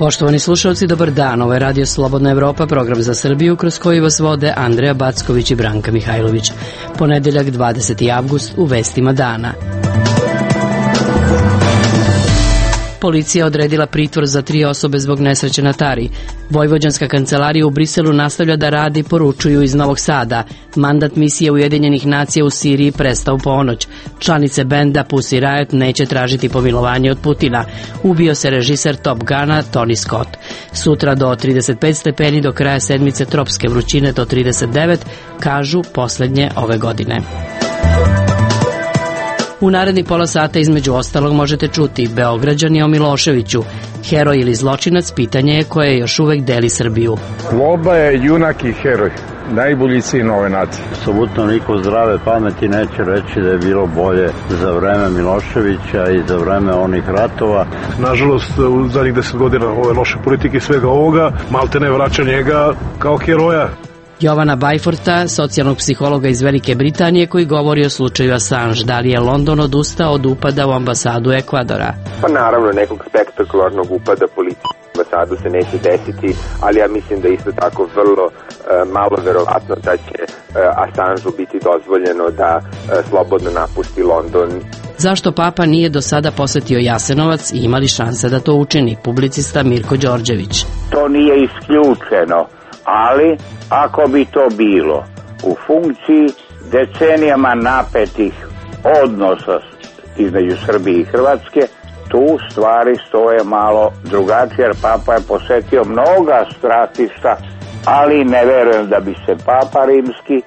Poštovani slušalci, dobar dan. Ovo je Radio Slobodna Evropa, program za Srbiju kroz koji vas vode Andreja Backović i Branka Mihajlović. Ponedeljak 20. avgust u vestima dana. Policija odredila pritvor za 3 osobe zbog nesreće na Tari. Vojvođanska kancelarija u Briselu nastavlja da radi, poručuju iz Novog Sada. Mandat misije Ujedinjenih nacija u Siriji prestao ponoć. Članice benda Pussy Riot neće tražiti pomilovanje od Putina. Ubio se režiser Top Guna Tony Scott. Sutra do 35 stepeni, do kraja sedmice tropske vrućine do 39, kažu poslednje ove godine. U naredni pola sata između ostalog možete čuti Beograđani o Miloševiću. Heroj ili zločinac, pitanje je koje još uvek deli Srbiju. Sloba je junak i heroj, najbolji sin ove nacije. Apsolutno niko zdrave pameti neće reći da je bilo bolje za vreme Miloševića i za vreme onih ratova. Nažalost, u zadnjih 10 godina ove loše politike i svega ovoga, malte ne vraća njega kao heroja. Jovana Bajforta, socijalnog psihologa iz Velike Britanije, koji govori o slučaju Assange. Da li je London odustao od upada u ambasadu Ekvadora? Pa naravno, nekog spektakularnog upada policije u ambasadu se neće desiti, ali ja mislim da isto tako vrlo malo verovatno da će Assangeu biti dozvoljeno da slobodno napusti London. Zašto Papa nije do sada posetio Jasenovac i imali šanse da to učini? Publicista Mirko Đorđević. To nije isključeno, ali ako bi to bilo u funkciji decenijama napetih odnosa između Srbije i Hrvatske, tu stvari stoje malo drugačije, jer Papa je posetio mnoga stratišta, ali ne verujem da bi se Papa rimski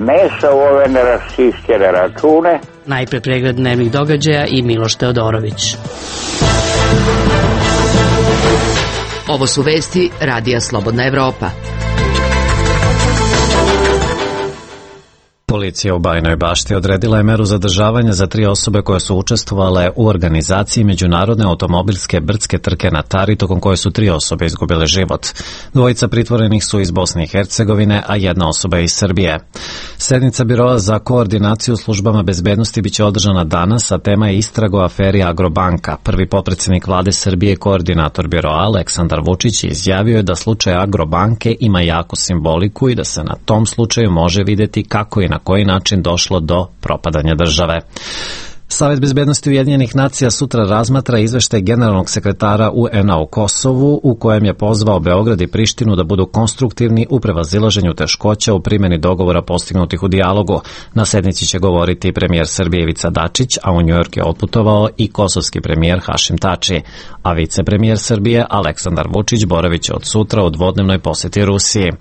mešao u ove neraščišćene račune. Najpre pregled dnevnih događaja i Miloš Teodorović. Ovo su vesti Radija Slobodna Evropa. Policija u Bajinoj Bašti odredila je meru zadržavanja za 3 osobe koje su učestvovale u organizaciji međunarodne automobilske brdske trke na Tari, tokom koje su 3 osobe izgubile život. 2 pritvorenih su iz Bosne i Hercegovine, a 1 osoba iz Srbije. Sednica Biroa za koordinaciju službama bezbednosti biće održana danas, a tema je istraga o aferi Agrobanka. Prvi potpredsednik vlade Srbije, koordinator Biroa Aleksandar Vučić, izjavio je da slučaj Agrobanke ima jaku simboliku i da se na tom slučaju može videti kako i na koji način došlo do propadanja države. Savet bezbednosti Ujedinjenih nacija sutra razmatra izveštaj generalnog sekretara UN-a u Kosovu, u kojem je pozvao Beograd i Prištinu da budu konstruktivni u prevazilaženju teškoća u primjeni dogovora postignutih u dijalogu. Na sednici će govoriti premijer Srbije Ivica Dačić, a u Njujork je otputovao i kosovski premijer Hašim Tači, a vicepremijer Srbije Aleksandar Vučić boravit će od sutra u dvodnevnoj poseti Rusiji.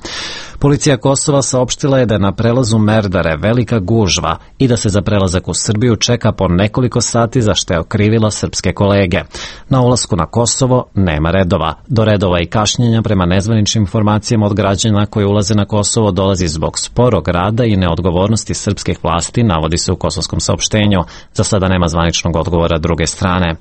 Policija Kosova saopštila je da je na prelazu Merdare velika gužva i da se za prelazak u Srbiju čeka po nekoliko sati, za što je okrivila srpske kolege. Na ulasku na Kosovo nema redova. Do redova i kašnjenja prema nezvaničnim informacijama od građana koji ulaze na Kosovo dolazi zbog sporog rada i neodgovornosti srpskih vlasti, navodi se u kosovskom saopštenju. Za sada nema zvaničnog odgovora druge strane.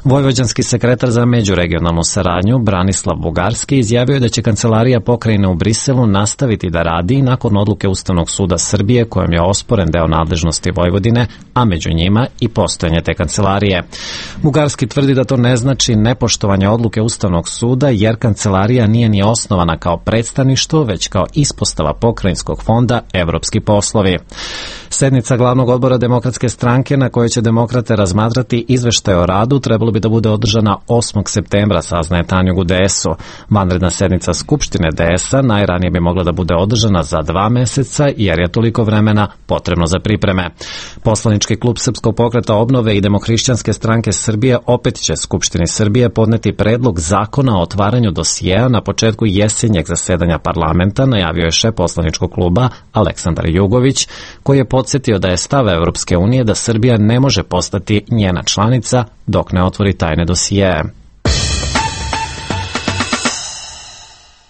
Vojvođanski sekretar za međuregionalnu saradnju Branislav Bugarski izjavio je da će kancelarija pokrajine u Briselu nastaviti da radi nakon odluke Ustavnog suda Srbije kojom je osporen deo nadležnosti Vojvodine, a među njima i postojanje te kancelarije. Bugarski tvrdi da to ne znači nepoštovanje odluke Ustavnog suda, jer kancelarija nije ni osnovana kao predstavništvo, već kao ispostava pokrajinskog fonda Evropski poslovi. Sednica glavnog odbora Demokratske stranke na kojoj će demokrate razmatrati izveštaj o radu trebalo bi da bude održana 8. septembra, saznaje Tanjug u DS-u. Vanredna sednica Skupštine DS-a najranije bi mogla da bude održana za 2 meseca, jer je toliko vremena potrebno za pripreme. Poslanički klub Srpskog pokreta obnove i Demohrišćanske stranke Srbije opet će Skupštini Srbije podneti predlog zakona o otvaranju dosijeja na početku jesenjeg zasedanja parlamenta, najavio je šef poslaničkog kluba Aleksandar Jugović, koji je podsjetio da je stav Evropske unije da Srbija ne može postati njena članica dok ne otvori tajne dosijeje.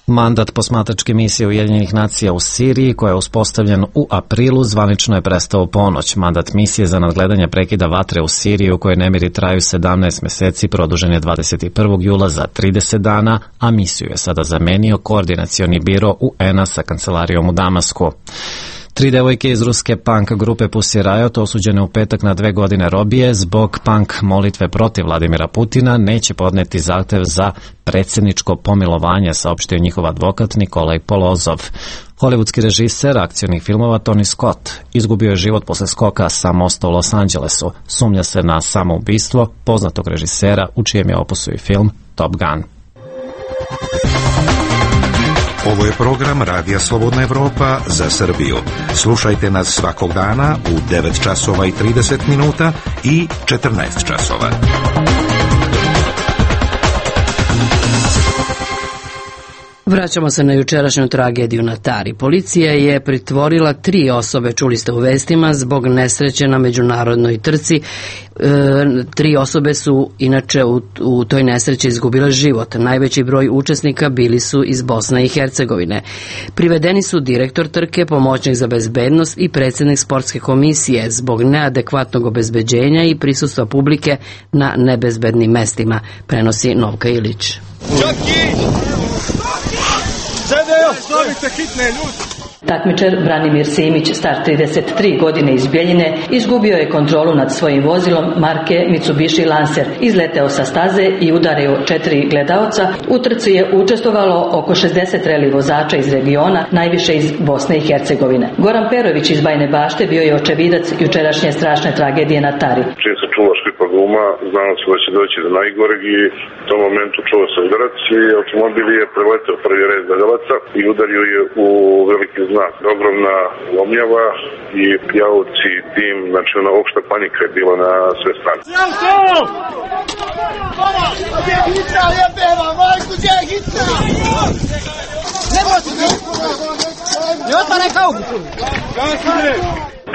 Mandat posmatračke misije Ujedinjenih nacija u Siriji, koja je uspostavljen u aprilu, zvanično je prestao u ponoć. Mandat misije za nadgledanje prekida vatre u Siriji, u kojoj nemiri traju 17 meseci, produžen je 21. jula za 30 dana, a misiju je sada zamenio koordinacioni biro UN-a sa kancelarijom u Damasku. 3 devojke iz ruske punk grupe Pussy Riot, osuđene u petak na 2 godine robije zbog punk molitve protiv Vladimira Putina, neće podneti zahtev za predsjedničko pomilovanje, saopštio njihov advokat Nikolaj Polozov. Hollywoodski režiser akcionih filmova Tony Scott izgubio je život posle skoka sa mosta u Los Angelesu. Sumnja se na samoubistvo poznatog režisera u čijem je opusu i film Top Gun. Ovo je program Radija Slobodna Evropa za Srbiju. Slušajte nas svakog dana u 9 časova i 30 minuta i 14 časova. Vraćamo se na jučerašnju tragediju na Tari. Policija je pritvorila 3 osobe, čuli ste u vestima, zbog nesreće na međunarodnoj trci. 3 osobe su inače u toj nesreći izgubile život. Najveći broj učesnika bili su iz Bosne i Hercegovine. Privedeni su direktor trke, pomoćnik za bezbednost i predsjednik sportske komisije zbog neadekvatnog obezbeđenja i prisustva publike na nebezbednim mestima, prenosi Novka Ilić. Takmičar Branimir Simić, star 33 godine iz Bjeljine, izgubio je kontrolu nad svojim vozilom marke Mitsubishi Lancer. Izleteo sa staze i udario 4 gledaoca. U trci je učestvovalo oko 60 reli vozača iz regiona, najviše iz Bosne i Hercegovine. Goran Perović iz Bajne Bašte bio je očevidac jučerašnje strašne tragedije na Tari. Čim se čula škripa guma, znalo se da će doći do najgoreg i u tom momentu čuo se udarac i automobil je preleteo prvi red gledalaca i udario je u veliki znak. Ogromna lomljava i jalovci, dim, znači ona opšta panika je bila na sve strane.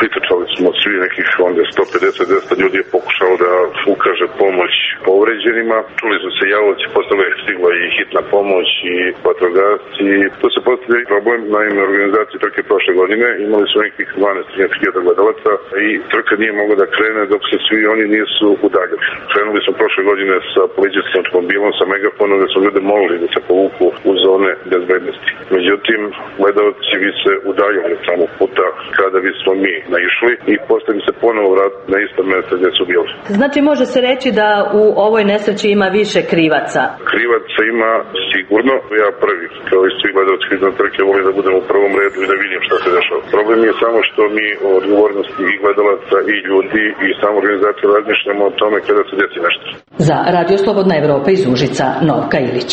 Pritrčali smo svi nekih onda 150-200 ljudi je pokušalo da ukaže pomoć povređenima. Čuli su se jalovci, posle je stigla i hitna pomoć i vatrogasci. Tu se postavlja problem, naime organizacije trke prošle godine imali su nekih 12-13 gledalaca i trka nije mogla da krene dok se svi oni nisu udaljili. Krenuli smo prošle godine sa policijskim automobilom, sa megafonom, da su ljude molili da se povuku u zone bezbednosti. Međutim, gledalci bi se udaljili od samog puta kada bismo mi naišli i postavili se ponovo vrat na isto mjesto gdje su bili. Znači može se reći da u ovoj nesreći ima više krivaca? Krivaca ima sigurno. Ja prvi, kao i svi gledalci na trke, volim da budem u prvom redu i da vidim šta se dešava. Problem je samo što mi o odgovornosti i gledalaca i ljudi i samo organizacije razmišljamo o tome kada se desi nešto. Za Radio Slobodna Evropa iz Užica, Novka Ilić.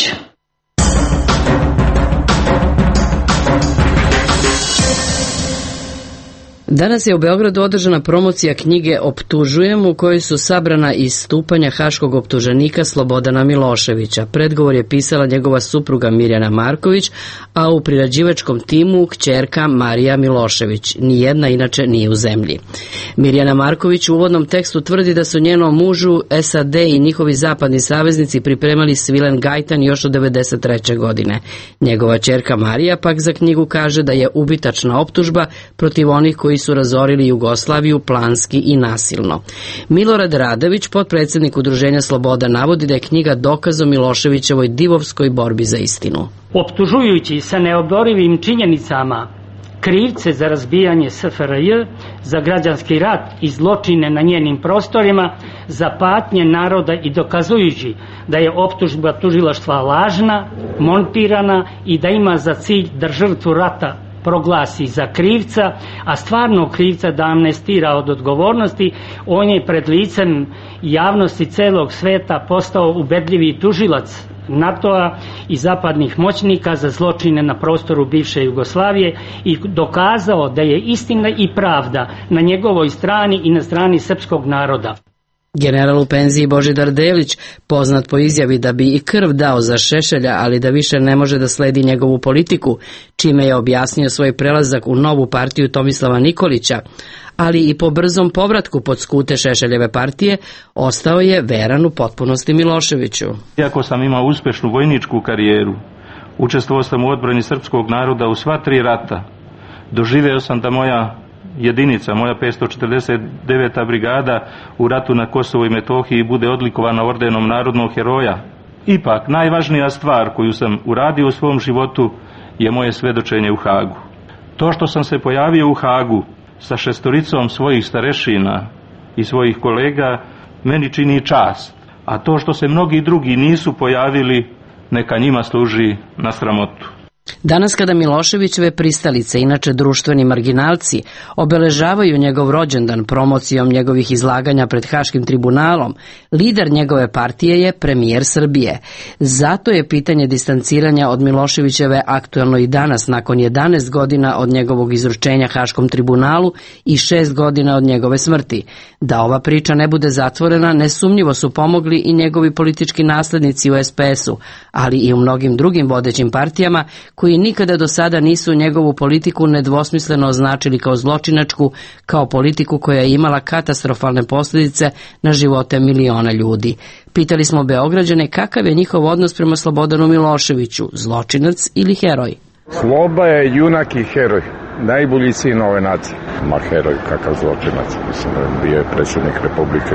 Danas je u Beogradu održana promocija knjige Optužujem, u kojoj su sabrana istupanja haškog optuženika Slobodana Miloševića. Predgovor je pisala njegova supruga Mirjana Marković, a u priređivačkom timu kćerka Marija Milošević. Nijedna inače nije u zemlji. Mirjana Marković u uvodnom tekstu tvrdi da su njenom mužu SAD i njihovi zapadni saveznici pripremali svilen gajtan još od 1993. godine. Njegova kćerka Marija pak za knjigu kaže da je ubitačna optužba protiv onih koji su razorili Jugoslaviju planski i nasilno. Milorad Radović, potpredsjednik Udruženja Sloboda, navodi da je knjiga dokaz o Miloševićevoj divovskoj borbi za istinu. Optužujući sa neoborivim činjenicama krivce za razbijanje SFRJ, za građanski rat i zločine na njenim prostorima, za patnje naroda i dokazujući da je optužba tužilaštva lažna, montirana i da ima za cilj da žrtvu rata proglasi za krivca, a stvarno krivca da amnestira od odgovornosti, on je pred licem javnosti celog sveta postao ubedljivi tužilac NATO-a i zapadnih moćnika za zločine na prostoru bivše Jugoslavije i dokazao da je istina i pravda na njegovoj strani i na strani srpskog naroda. General u penziji Božidar Delić, poznat po izjavi da bi i krv dao za Šešelja, ali da više ne može da sledi njegovu politiku, čime je objasnio svoj prelazak u novu partiju Tomislava Nikolića, ali i po brzom povratku pod skute Šešeljeve partije, ostao je veran u potpunosti Miloševiću. Iako sam imao uspešnu vojničku karijeru, učestvovao sam u odbrani srpskog naroda u sva 3 rata, doživeo sam da moja jedinica, moja 549. brigada u ratu na Kosovu i Metohiji bude odlikovana ordenom narodnog heroja. Ipak, najvažnija stvar koju sam uradio u svom životu je moje svedočenje u Hagu. To što sam se pojavio u Hagu sa 6 svojih starešina i svojih kolega meni čini čast, a to što se mnogi drugi nisu pojavili neka njima služi na sramotu. Danas kada Miloševićeve pristalice, inače društveni marginalci, obeležavaju njegov rođendan promocijom njegovih izlaganja pred Haškim tribunalom, lider njegove partije je premijer Srbije. Zato je pitanje distanciranja od Miloševićeve aktuelno i danas, nakon 11 godina od njegovog izručenja Haškom tribunalu i 6 godina od njegove smrti. Da ova priča ne bude zatvorena, nesumnjivo su pomogli i njegovi politički naslednici u SPS-u, ali i u mnogim drugim vodećim partijama koji nikada do sada nisu njegovu politiku nedvosmisleno označili kao zločinačku, kao politiku koja je imala katastrofalne posljedice na živote miliona ljudi. Pitali smo Beograđane kakav je njihov odnos prema Slobodanu Miloševiću, zločinac ili heroj. Sloba je junak i heroj, najbolji sin ove nacije. Ma heroj, kakav zločinac, mislim, bio je predsjednik Republike,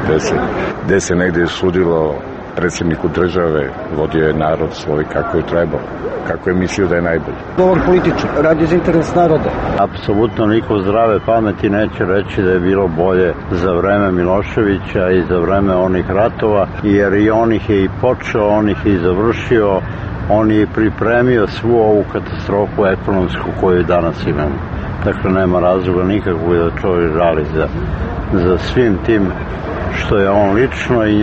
gde se negdje sudilo predsjedniku države, vodio je narod svoj kako je trebao, kako je mislio da je najbolji. Dobar političar, radi za interes naroda. Apsolutno niko zdrave pameti neće reći da je bilo bolje za vreme Miloševića i za vreme onih ratova, jer i on ih je i počeo, on ih je i završio, on je pripremio svu ovu katastrofu ekonomsku koju danas imamo. Dakle, nema razloga nikakvog da čovjek žali za svim tim što je on lično i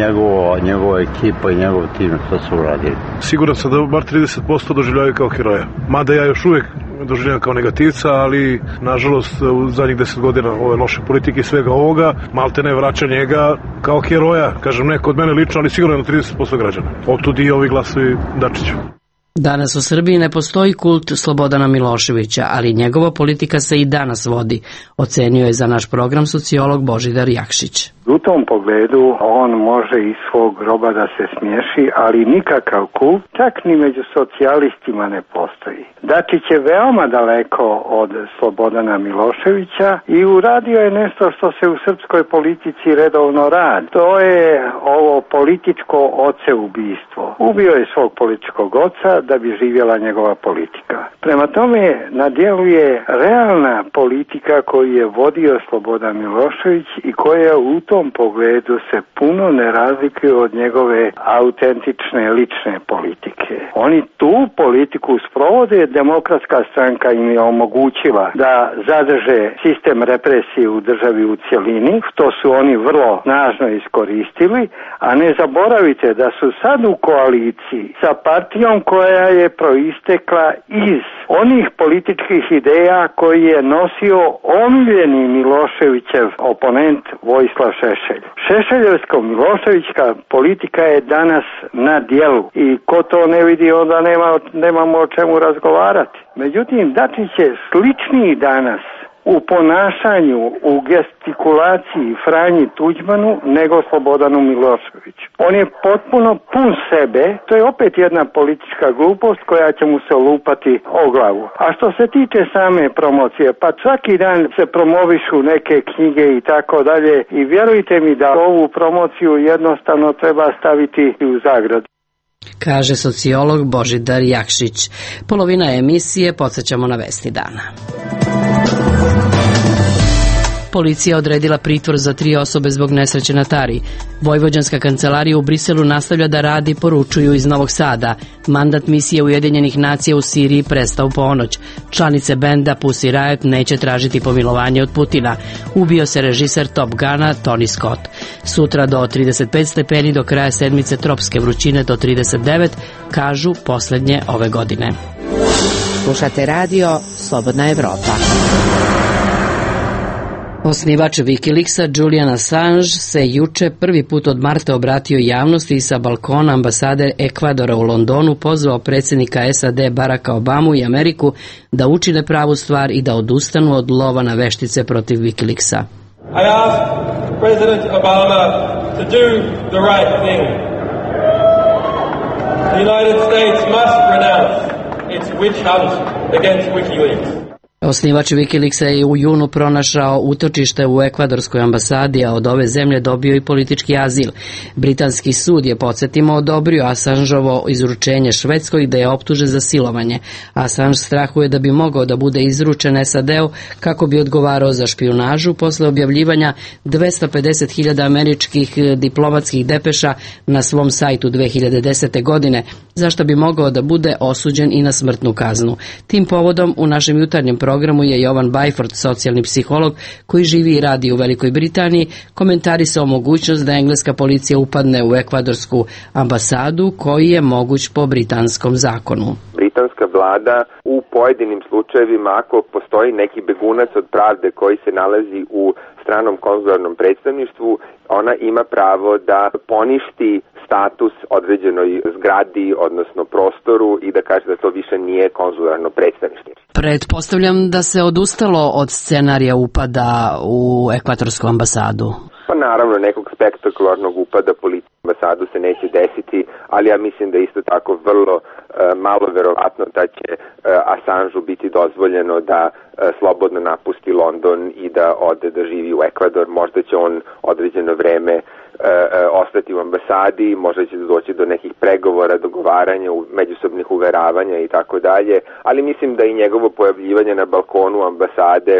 njegova ekipa i njegov tim što su uradili. Siguran sam da bar 30% doživljavaju kao heroja. Mada ja još uvijek doživljavam kao negativca, ali nažalost u zadnjih 10 godina ove loše politike i svega ovoga, malte ne vraća njega kao heroja. Kažem, ne kod mene lično, ali sigurno na 30% građana. Otud i ovi glasovi Dačiću. Danas u Srbiji ne postoji kult Slobodana Miloševića, ali njegova politika se i danas vodi, ocenio je za naš program sociolog Božidar Jakšić. U tom pogledu on može iz svog groba da se smiješi, ali nikakav kult, čak ni među socijalistima ne postoji. Dačić je veoma daleko od Slobodana Miloševića i uradio je nešto što se u srpskoj politici redovno radi. To je ovo političko oceubistvo. Ubio je svog političkog oca da bi živjela njegova politika. Prema tome na djelu je realna politika koju je vodio Slobodan Milošević i koja u tom pogledu se puno ne razlikuje od njegove autentične lične politike. Oni tu politiku sprovode, Demokratska stranka im je omogućila da zadrže sistem represije u državi u cjelini, što su oni vrlo snažno iskoristili, a ne zaboravite da su sad u koaliciji sa partijom koja je proistekla iz onih političkih ideja koji je nosio omiljeni Miloševićev oponent Vojislav Šešelj. Šešeljevsko-miloševićka politika je danas na djelu i ko to ne vidi onda nemamo o čemu razgovarati. Međutim, Dačić je sličniji danas u ponašanju, u gestikulaciji Franji Tuđmanu nego Slobodanu Miloševiću. On je potpuno pun sebe, to je opet jedna politička glupost koja će mu se lupati o glavu. A što se tiče same promocije, pa svaki dan se promovišu neke knjige i tako dalje i vjerujte mi da ovu promociju jednostavno treba staviti u zagradu. Kaže sociolog Božidar Jakšić. Polovina emisije, podsjećamo na vesti dana. Policija odredila pritvor za 3 osobe zbog nesreće na Tari. Vojvođanska kancelarija u Briselu nastavlja da radi, poručuju iz Novog Sada. Mandat misije Ujedinjenih nacija u Siriji prestao ponoć. Članice benda Pussy Riot neće tražiti pomilovanje od Putina. Ubio se režiser Top Guna Tony Scott. Sutra do 35 stepeni, do kraja sedmice tropske vrućine do 39, kažu posljednje ove godine. Slušate radio Slobodna Evropa. Osnivač Wikileaksa Julian Assange se juče prvi put od marta obratio javnosti i sa balkona ambasade Ekvadora u Londonu pozvao predsjednika SAD Baracka Obamu i Ameriku da učine pravu stvar i da odustanu od lova na veštice protiv Wikileaksa. I ask President Obama to do the right thing. The United States must renounce its witch hunt against WikiLeaks. Osnivač Wikileaksa je u junu pronašao utočište u ekvadorskoj ambasadi, a od ove zemlje dobio i politički azil. Britanski sud je, podsjetimo, odobrio Assangeovo izručenje Švedskoj gde je optužen za silovanje. Assange strahuje da bi mogao da bude izručen SAD-u kako bi odgovarao za špijunažu posle objavljivanja 250.000 američkih diplomatskih depeša na svom sajtu 2010. godine, zašto bi mogao da bude osuđen i na smrtnu kaznu. Tim povodom u našem jutarnjem programu je Jovan Bajford, socijalni psiholog koji živi i radi u Velikoj Britaniji, komentarisao mogućnost da engleska policija upadne u ekvadorsku ambasadu koji je moguć po britanskom zakonu. Britanska vlada u pojedinim slučajevima, ako postoji neki begunac od pravde koji se nalazi u stranom konzularnom predstavništvu, ona ima pravo da poništi status određenoj zgradi, odnosno prostoru i da kaže da to više nije konzularno predstavništvo. Pretpostavljam da se odustalo od scenarija upada u ekvadorsku ambasadu. Pa naravno, nekog spektakularnog upada policije u ambasadu se neće desiti, ali ja mislim da isto tako vrlo malo verovatno da će Assangeu biti dozvoljeno da slobodno napusti London i da ode da živi u Ekvador. Možda će on određeno vreme ostati u ambasadi, možda će doći do nekih pregovora, dogovaranja, međusobnih uveravanja i tako dalje, ali mislim da i njegovo pojavljivanje na balkonu ambasade,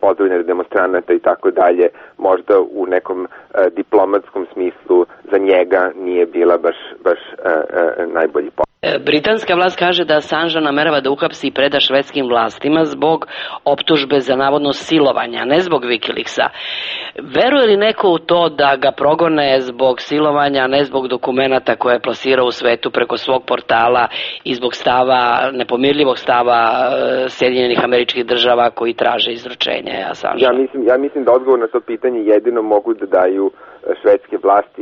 pozdravljanje demonstranata i tako dalje, možda u nekom diplomatskom smislu za njega nije bila baš najbolji posao. Britanska vlast kaže da Assange namerava da uhapsi i preda švedskim vlastima zbog optužbe za navodno silovanja, ne zbog Wikileaksa. Veruje li neko u to da ga progone zbog silovanja, ne zbog dokumenata koje je plasirao u svetu preko svog portala i zbog stava, nepomirljivog stava Sjedinjenih Američkih Država koji traže izručenje Assangea? Ja mislim da odgovor na to pitanje jedino mogu da daju švedske vlasti.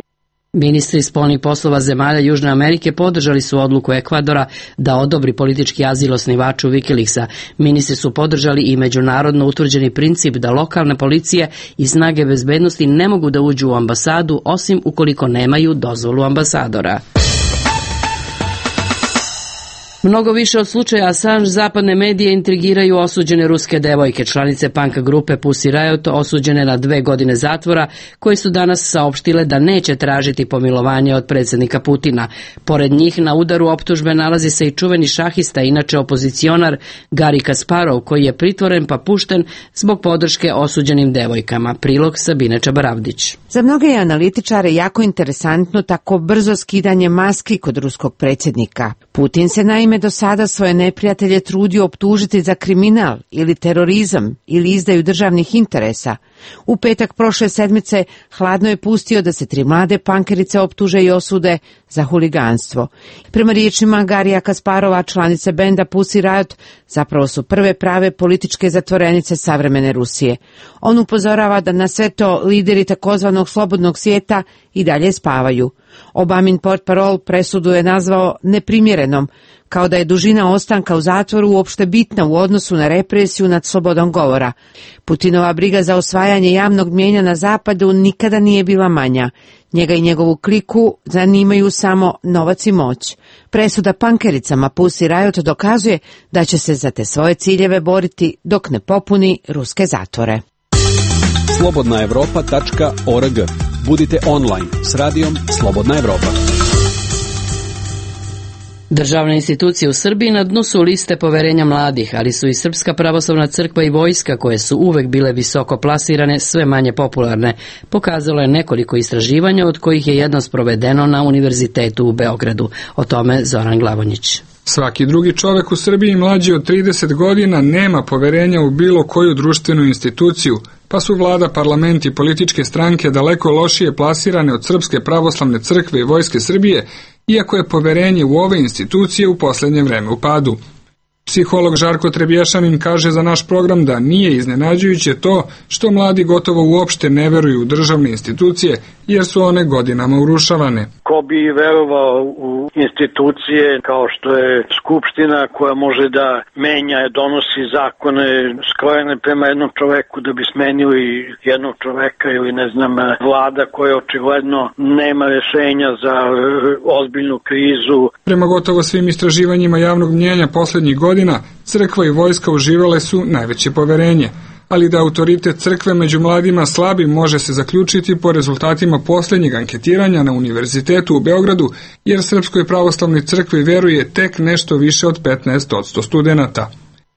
Ministri spoljnih poslova zemalja Južne Amerike podržali su odluku Ekvadora da odobri politički azil osnivaču Wikileaksa. Ministri su podržali i međunarodno utvrđeni princip da lokalne policije i snage bezbednosti ne mogu da uđu u ambasadu osim ukoliko nemaju dozvolu ambasadora. Mnogo više od slučaja Assange zapadne medije intrigiraju osuđene ruske devojke, članice punk grupe Pussy Riot, osuđene na 2 godine zatvora, koje su danas saopštile da neće tražiti pomilovanje od predsjednika Putina. Pored njih na udaru optužbe nalazi se i čuveni šahista, inače opozicionar Garry Kasparov, koji je pritvoren pa pušten zbog podrške osuđenim devojkama. Prilog Sabine Čabaravdić. Za mnoge je analitičare jako interesantno tako brzo skidanje maski kod ruskog predsjednika. Putin se naime do sada svoje neprijatelje trudio optužiti za kriminal ili terorizam ili izdaju državnih interesa. U petak prošle sedmice hladno je pustio da se 3 mlade pankerice optuže i osude za huliganstvo. Prema riječima Garija Kasparova, članice benda Pussy Riot, zapravo su prve prave političke zatvorenice savremene Rusije. On upozorava da na sve to lideri takozvanog slobodnog svijeta i dalje spavaju. Obamin portparol presudu je nazvao neprimjerenom, kao da je dužina ostanka u zatvoru uopšte bitna u odnosu na represiju nad slobodom govora. Putinova briga za osvajanje javnog mnijenja na zapadu nikada nije bila manja. Njega i njegovu kliku zanimaju samo novac i moć. Presuda pankericama Pussy Riot dokazuje da će se za te svoje ciljeve boriti dok ne popuni ruske zatvore. slobodnaevropa.org. Budite online s radijom Slobodna Evropa. Državne institucije u Srbiji na dnu su liste poverenja mladih, ali su i Srpska pravoslavna crkva i vojska, koje su uvek bile visoko plasirane, sve manje popularne. Pokazalo je nekoliko istraživanja, od kojih je jedno sprovedeno na Univerzitetu u Beogradu. O tome Zoran Glavonjić. Svaki drugi čovek u Srbiji mlađi od 30 godina nema poverenja u bilo koju društvenu instituciju, pa su vlada, parlament i političke stranke daleko lošije plasirane od Srpske pravoslavne crkve i vojske Srbije, iako je poverenje u ove institucije u posljednje vreme u padu. Psiholog Žarko Trebješanin kaže za naš program da nije iznenađujuće to što mladi gotovo uopšte ne veruju u državne institucije, jer su one godinama urušavane. Ko bi verovao u institucije kao što je Skupština, koja može da menja, donosi zakone skrojene prema jednom čoveku da bi smenili jednog čoveka, ili ne znam, vlada koja očigledno nema rešenja za ozbiljnu krizu. Prema gotovo svim istraživanjima javnog mnjenja poslednjih godina godina crkva i vojska uživale su najveće poverenje, ali da autoritet crkve među mladima slabi može se zaključiti po rezultatima posljednjeg anketiranja na Univerzitetu u Beogradu, jer Srpskoj pravoslavnoj crkvi veruje tek nešto više od 15% studenata.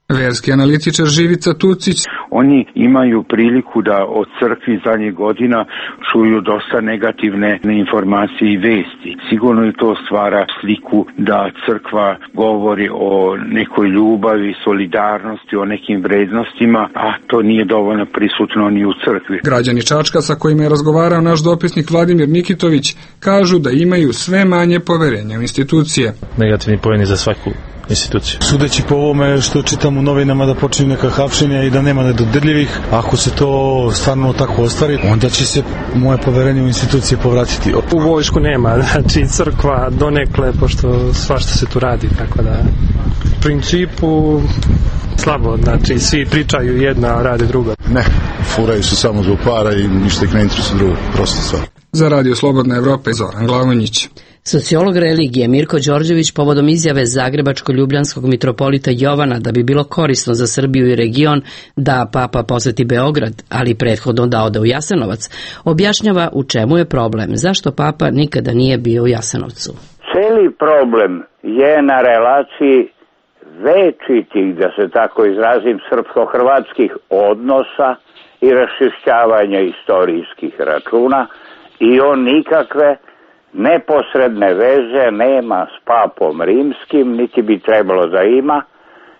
Verski analitičar Živica Tucić: oni imaju priliku da od crkvi zadnjih godina čuju dosta negativne informacije i vesti. Sigurno i to stvara sliku da crkva govori o nekoj ljubavi, solidarnosti, o nekim vrednostima, a to nije dovoljno prisutno ni u crkvi. Građani Čačka sa kojima je razgovarao naš dopisnik Vladimir Nikitović kažu da imaju sve manje poverenja u institucije. Negativni poeni za svaku instituciju. Sudeći po ovome što čitam u novinama da počinju neka hapšenja i da nema nedodirljivih, ako se to stvarno tako ostvari, onda će se moje poverenje u institucije povratiti. U vojsku nema, znači crkva donekle, pošto svašta se tu radi, tako da u principu slabo, znači svi pričaju jedna, a rade druga. Ne, furaju se samo zbog para i ništa ih ne interesuje drugo, prosto stvar. Za Radio Slobodna Evropa, Zoran Glavonjić. Sociolog religije Mirko Đorđević povodom izjave zagrebačko-ljubljanskog mitropolita Jovana da bi bilo korisno za Srbiju i region da papa poseti Beograd, ali prethodno da ode u Jasenovac, objašnjava u čemu je problem, zašto papa nikada nije bio u Jasenovcu. Celi problem je na relaciji večitih, da se tako izrazim, srpsko-hrvatskih odnosa i raščišćavanja istorijskih računa, i on nikakve neposredne veze nema s papom rimskim, niti bi trebalo da ima,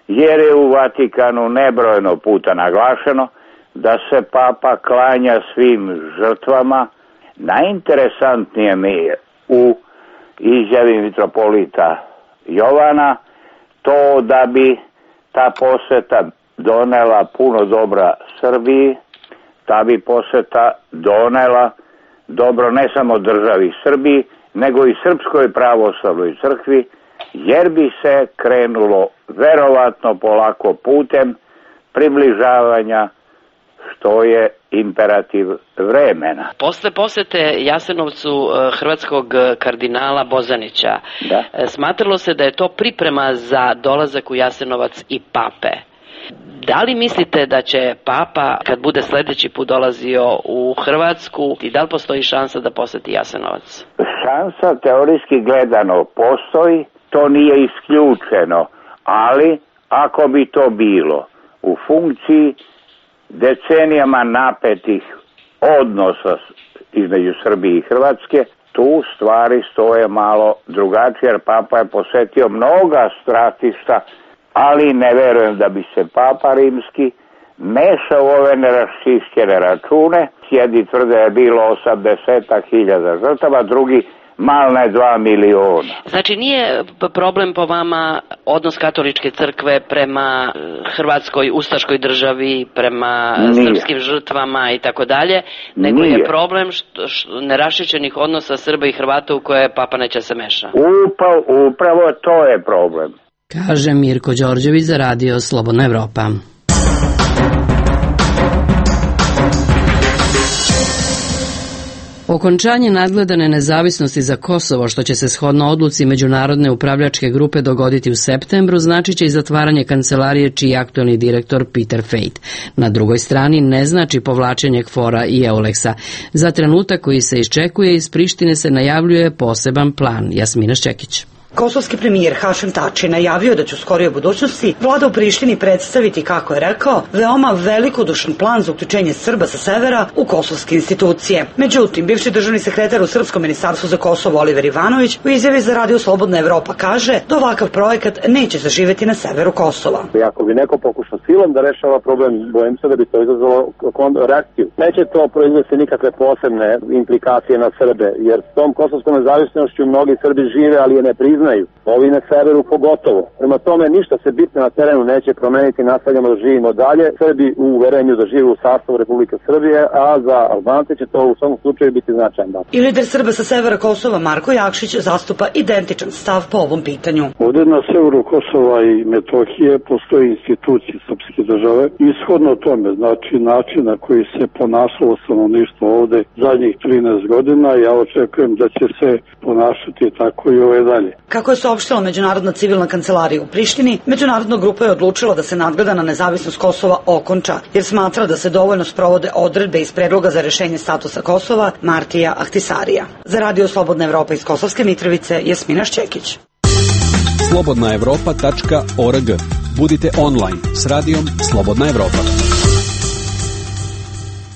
jer je u Vatikanu nebrojeno puta naglašeno da se papa klanja svim žrtvama. Najinteresantnije mi je u izjavi mitropolita Jovana to da bi ta poseta donela puno dobra Srbiji, ta bi poseta donela dobro ne samo državi Srbiji, nego i Srpskoj pravoslavnoj crkvi, jer bi se krenulo verovatno polako putem približavanja, što je imperativ vremena. Posle posete Jasenovcu hrvatskog kardinala Bozanića, smatralo se da je to priprema za dolazak u Jasenovac i pape. Da li mislite da će papa, kad bude sledeći put dolazio u Hrvatsku, i da li postoji šansa da poseti Jasenovac? Šansa teorijski gledano postoji, to nije isključeno, ali ako bi to bilo u funkciji decenijama napetih odnosa između Srbije i Hrvatske, tu stvari stoje malo drugačije, jer papa je posetio mnoga stratišta, ali ne verujem da bi se papa rimski mešao u ove neraščišćene račune. Jedni tvrde je bilo 80.000 žrtava, drugi malne 2 miliona. Znači nije problem po vama odnos katoličke crkve prema hrvatskoj ustaškoj državi, prema srpskim žrtvama i tako dalje, nego je problem neraščišćenih odnosa Srba i Hrvata u koje papa neće se meša. Upravo to je problem. Kaže Mirko Đorđević za Radio Slobodna Evropa. Okončanje nadgledane nezavisnosti za Kosovo, što će se shodno odluci Međunarodne upravljačke grupe dogoditi u septembru, značiće i zatvaranje kancelarije čiji je aktualni direktor Peter Fejt. Na drugoj strani ne znači povlačenje KFOR-a i EULEX-a. Za trenutak koji se iščekuje, iz Prištine se najavljuje poseban plan. Jasmina Šćekić. Kosovski premijer Hašem Tači najavio da će u skorijoj budućnosti vlada u Prištini predstaviti, kako je rekao, veoma velikodušan plan za uključenje Srba sa severa u kosovske institucije. Međutim, bivši državni sekretar u Srpskom ministarstvu za Kosovo Oliver Ivanović u izjavi za Radio Slobodna Evropa kaže da ovakav projekat neće zaživeti na severu Kosova. Ako bi neko pokušao silom da rešava problem, bojim se da bi to izazvalo reakciju. Neće to proizvesti nikakve posebne implikacije na Srbe, jer s tom kosovskom nezavisnošću mnogi Srbi žive, ali je ne priznaju. Ovi na severu pogotovo. Prema tome ništa se bitno na terenu neće promeniti, nastavljamo da živimo dalje. Srbi u uverenju da žive u sastavu Republike Srbije, a za Albance će to u svom slučaju biti značajan dan. I lider Srba sa severa Kosova Marko Jakšić zastupa identičan stav po ovom pitanju. Ovdje na severu Kosova i Metohije postoje institucije srpske države. Ishodno tome, znači način na koji se ponašalo stanovništvo ovdje zadnjih 13 godina, ja očekujem da će se ponašati tako i ove dalje. Kako je saopštila Međunarodna civilna kancelarija u Prištini, međunarodna grupa je odlučila da se nadgleda na nezavisnost Kosova okonča, jer smatra da se dovoljno sprovode odredbe iz predloga za rešenje statusa Kosova Martija Ahtisarija. Za Radio Slobodna Evropa iz Kosovske Mitrovice, Jasmina Šćekić. slobodnaevropa.org. Budite online s radijom Slobodna Evropa.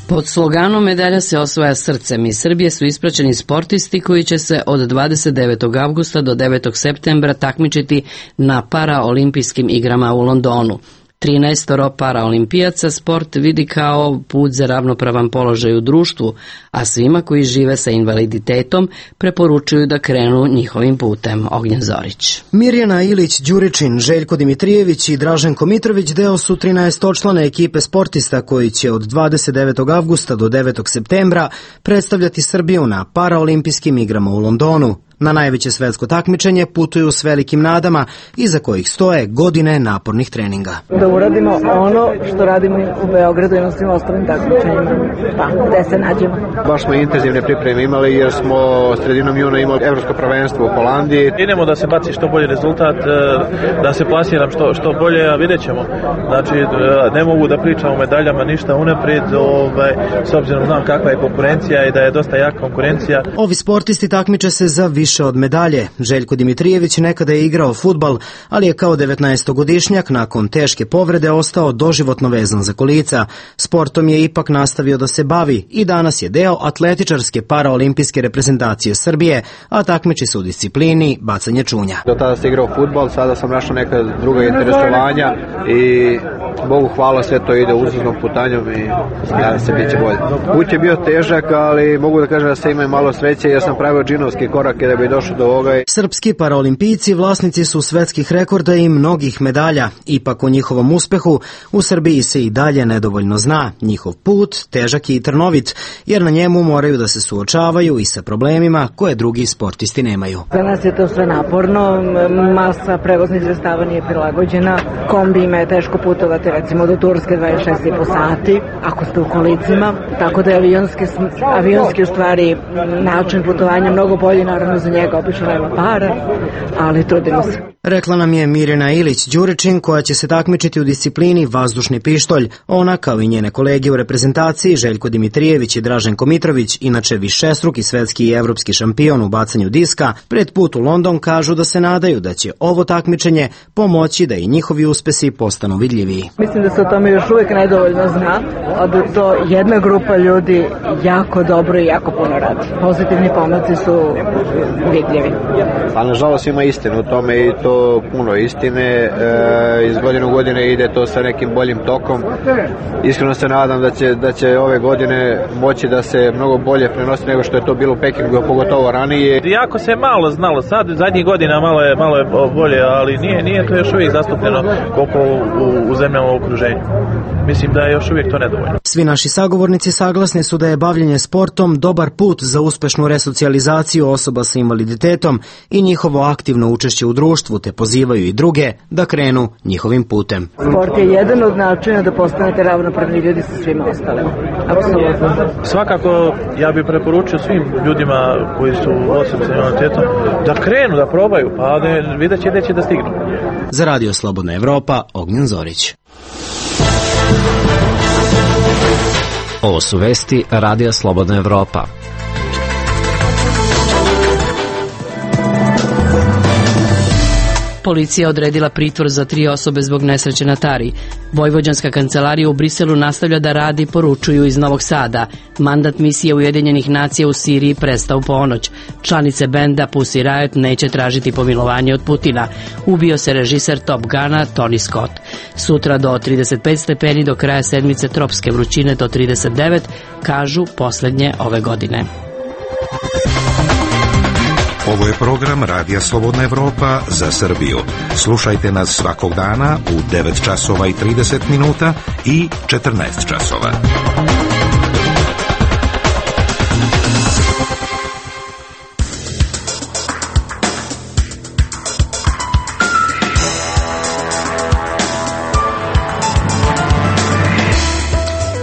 Pod sloganom Medalja se osvaja srcem iz Srbije su ispraćeni sportisti koji će se od 29. avgusta do 9. septembra takmičiti na paraolimpijskim igrama u Londonu. 13 paraolimpijaca sport vidi kao put za ravnopravan položaj u društvu, a svima koji žive sa invaliditetom preporučuju da krenu njihovim putem. Ognjen Zorić. Mirjana Ilić-Đuričin, Željko Dimitrijević i Draženko Mitrović deo su 13-člane ekipe sportista koji će od 29. avgusta do 9. septembra predstavljati Srbiju na paraolimpijskim igrama u Londonu. Na najveće svetsko takmičenje putuju s velikim nadama, iza kojih stoje godine napornih treninga. Da uradimo ono što radimo u Beogradu i na svim ostalim takmičenjima, pa gde se nađemo. Baš smo intenzivne pripreme imali jer smo sredinom juna imali evropsko prvenstvo u Holandiji. Idemo da se baci što bolji rezultat, da se plasiram što bolje, a vidjet ćemo. Znači, ne mogu da pričam o medaljama ništa unaprijed, s obzirom znam kakva je konkurencija i da je dosta jaka konkurencija. Ovi sportisti takmiče se za više od medalje. Željko Dimitrijević nekada je igrao fudbal, ali je kao 19-godišnjak nakon teške povrede ostao doživotno vezan za kolica. Sportom je ipak nastavio da se bavi i danas je deo atletičarske paraolimpijske reprezentacije Srbije, a takmiči se u disciplini bacanje čunja. Do tada sam igrao fudbal, sada sam našao neka druga interesovanja i Bogu hvala, sve to ide uzlaznom putanjom i nadam se bit će bolje. Put je bio težak, ali mogu da kažem da se ima malo sreće jer sam pravio džinovske korake da bi došao do ovoga. Srpski paraolimpijci vlasnici su svetskih rekorda i mnogih medalja. Ipak o njihovom uspehu u Srbiji se i dalje nedovoljno zna. Njihov put težak i trnovit, jer na njemu moraju da se suočavaju i sa problemima koje drugi sportisti nemaju. Za nas je to sve naporno, masa prevoznih sredstava nije prilagođena, kombijima je teško putovati recimo do Turske 26,5 sati, ako ste u kolicima, tako da je avionski u stvari način putovanja mnogo bolji, naravno za njega obično nema para, ali trudimo se. Rekla nam je Mirjana Ilić-Đuričin koja će se takmičiti u disciplini vazdušni pištolj. Ona, kao i njene kolege u reprezentaciji, Željko Dimitrijević i Draženko Mitrović, inače višestruki svetski i evropski šampion u bacanju diska, pred put u London kažu da se nadaju da će ovo takmičenje pomoći da i njihovi uspesi postanu vidljiviji. Mislim da se o tome još uvijek nedovoljno zna, a da to jedna grupa ljudi jako dobro i jako puno radi. Pozitivni pomaci su vidljivi. Ali nažalost ima istinu u tome i to puno istine, iz godine u godine ide to sa nekim boljim tokom. Iskreno se nadam da će ove godine moći da se mnogo bolje prenosi nego što je to bilo u Pekingu, pogotovo ranije. Jako se malo znalo, sad zadnjih godina malo je bolje, ali nije to još uvijek zastupljeno koliko u zemljama u okruženju. Mislim da je još uvijek to nedovoljno. Svi naši sagovornici saglasni su da je bavljenje sportom dobar put za uspešnu resocijalizaciju osoba sa invaliditetom i njihovo aktivno učešće u društvu, te pozivaju i druge da krenu njihovim putem. Sport je jedan od načina da postanete ravnopravni ljudi sa svima ostalim. Apsolutno. Svakako ja bih preporučio svim ljudima koji su osobe sa invaliditetom da krenu, da probaju, pa vidjet će gde će da stignu. Za Radio Slobodna Evropa, Ognjen Zorić. Ovo su vesti Radija Slobodna Evropa. Policija odredila pritvor za 3 osobe zbog nesreće na Tari. Vojvođanska kancelarija u Briselu nastavlja da radi, poručuju iz Novog Sada. Mandat misije Ujedinjenih nacija u Siriji prestao u ponoć. Članice benda Pussy Riot neće tražiti pomilovanje od Putina. Ubio se režiser Top Guna Tony Scott. Sutra do 35 stepeni, do kraja sedmice tropske vrućine do 39, kažu poslednje ove godine. Ovo je program Radija Slobodna Evropa za Srbiju. Slušajte nas svakog dana u 9 časova i 30 minuta i 14 časova.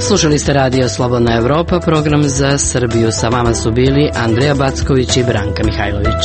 Slušali ste Radio Slobodna Evropa, program za Srbiju. Sa vama su bili Andreja Backović i Branka Mihajlović.